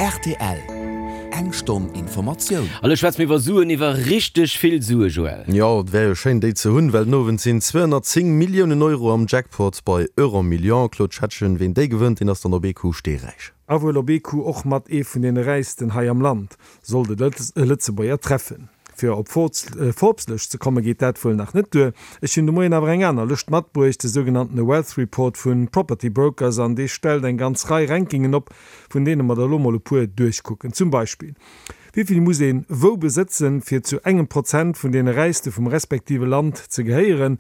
Rtl, Eng Stonn Informatioun. A lo schwätze mir iwwer Suen, iwwer richteg vill Sue, Joël. Jo, et wär jo schéin déi ze hunn, well den Owend sinn 210 Milliounen Euro am Jackpot bei Euromillions. Claude Schettgen, ween déi gewënnt, deen ass dann op ee Coup steeräich. A wuel op ee Coup och mat ee vun deene Räichsten hei am Land, sollt et e Lëtzebuerger treffen. Fir op Forbes-Lëscht ze komme geet dat wuel nach net duer. Ech hunn de Moien awer eng aner Lëscht matbruecht, de sougenanntene Wealth Report vu Property Brokers, an dee stellt eng ganz Rei Rankingen op, vun deene mer der elo mol e puer duerchkucken. Zum Beispill, Wéi vill muss een wou besëtzen, fir zu engem Prozent vun deene Räichste vum respektive Land ze gehéieren?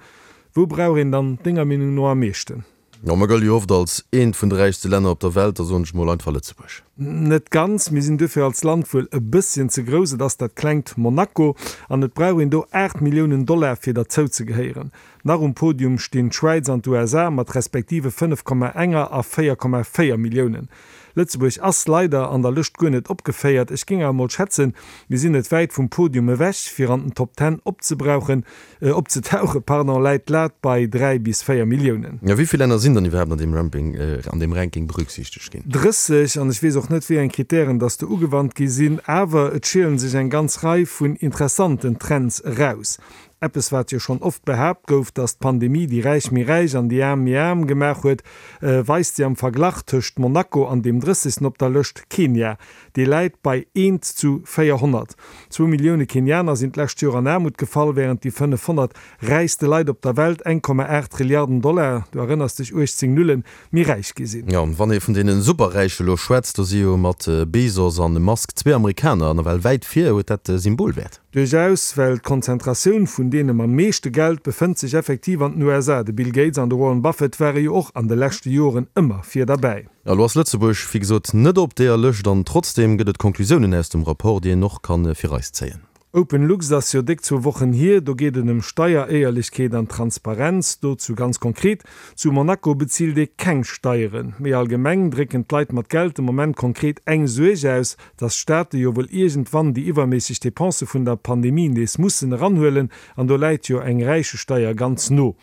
Wou brauch een dann denger Meenung no am meeschten? Jo, mer gëlle jo oft als eent vun de räichste Länner op der Welt, da soen ech mol einfach Lëtzebuerg. Net ganz, mir sinn duerfir als Land wuel e bësschen ze grouss, et ass dat klengt Monaco an et brauch een do 8 Milliounen Dollar fir derzou ze gehéieren. Nach um Podium stinn d'Schwäiz an d'USA mat respektive 5,1 a 4,4 Milliounen. Lëtzebuerg ass leider an der Lëscht guer net opgeféiert. Ech géing awer mol schätzen, mir sinn net wäit vum Podium ewech. Fir an den Top Ten opzebrauchen, Opzetauche, pardon, läit d'Lat bei 3 bis 4 Milliounen. Jo, wéi vill Länner sinn dann iwwerhaapt an deem Ramping, an deem Ranking berücksichtegt ginn? 30, an ech weess och net, wéi eng Kritären dass do ugewannt gi sinn, awer et schielen sech eng ganz Rei vun interessanten Trends eraus. Eppes, wat jo schonn oft behaapt gouf, dass d'Pandemie déi Räich méi räich an déi Aarm méi aarm gemaach huet, weist si am Verglach tëscht Monaco an deem 30. Op der Lëscht, Kenia. Dee läit bei eent zu 400. Zwou Millioune Kenianer sinn d'lescht Joer an Aarmut gefall, wärend déi 500 räichste Leit op der Welt 1,8 Trilliarden Dollar, du erënners dech, 18 Nullen, méi räich gi sinn. Jo, wann ee vun deene Superräiche lo schwätzt, do si jo mat Bezos an Musk zwee Amerikaner nawell wäit vir. Huet dat Symbolwäert? Duerchaus, well d'Konzentratioun vun deene mam meeschte Geld befënnt sech effektiv an den USA. De Bill Gates an de Warren Buffett ware jo och an de leschte Joren ëmmer vir derbäi. Elo ass Lëtzebuerg, wéi gesot, net op deeër Lëscht an trotzdeem gëtt et Conclusiounen aus dem Rapport, déi een och ka fir eis zéien. OpenLux ass jo déck zwou Wochen hier. Do geet et ëm Steieréierlechkeet an Transparenz. Dozou ganz konkret, Zu Monaco bezilt ee keng Steieren. Méi allgemeng drécken d'Leit mat Geld de Moment konkret eng Suerg aus, dass d'Staate jo wuel iergendwann déi iwwerméisseg Depensë vun der Pandemie nees mussen eranhuelen. An do läit jo eng Räichesteier ganz no.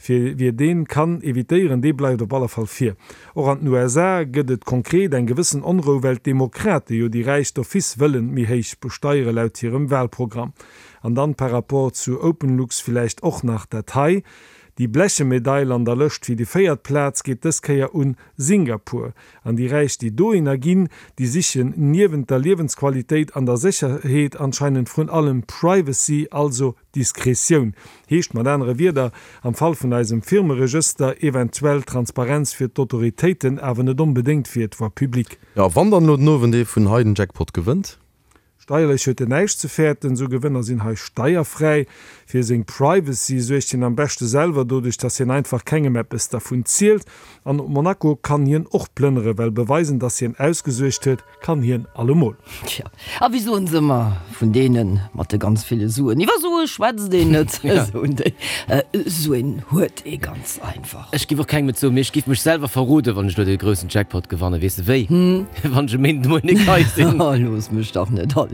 Fir wie deen kann evitéieren, dee bleift op alle Fall vir. Och an den USA gëtt et konkret eng gewëssen Onrou, well d'Demokrate jo déi Räich d'office wëllen méi héich besteiere laut hirem Wahlprogramm. An dann par rapport zu OpenLux villäicht och nach dat hei, Déi bleche Medail an der Lëscht fir déi véiert Plaz geet dës Kéier un Singapur. An déi Räich déi dohinner ginn, déi sichen niewent der Liewensqualitéit an der Sécherheet anscheinend vrun allem Privacy, also Diskretioun heescht mat anere Wierder am Fall vun eisem Firmeregëster eventuell Transparenz fir d'Autoritéiten, awer net onbedéngt fir d'Voie publique. Jo, wann dann elo den Owend ee vun hei den Jackpot gewënnt? Steierlech huet en näischt ze fäerten, esou Gewënner sinn hei steierfräi. Fir seng Privacy suergt hien am beschte selwer, doduerch dass hien einfach kengem eppes dervun zielt. An op Monaco kann hien och plënnere, well beweisen, dass hien ausgesuergt huet, Kann hien allemol. Tja, a wéi soen se ëmmer vun deene mat de ganz ville Suen, iwwer Sue schwätzt een net, soen déi. Suen huet ee ganz einfach. Ech giff och kengem et soen, mee ech giff mech selwer verroden, wann ech lo dee groussen Jackpot gewannen. Weess de wéi? Wann ech e Méinden de Moien nik hei sinn. Oh, looss mech dach net alleng.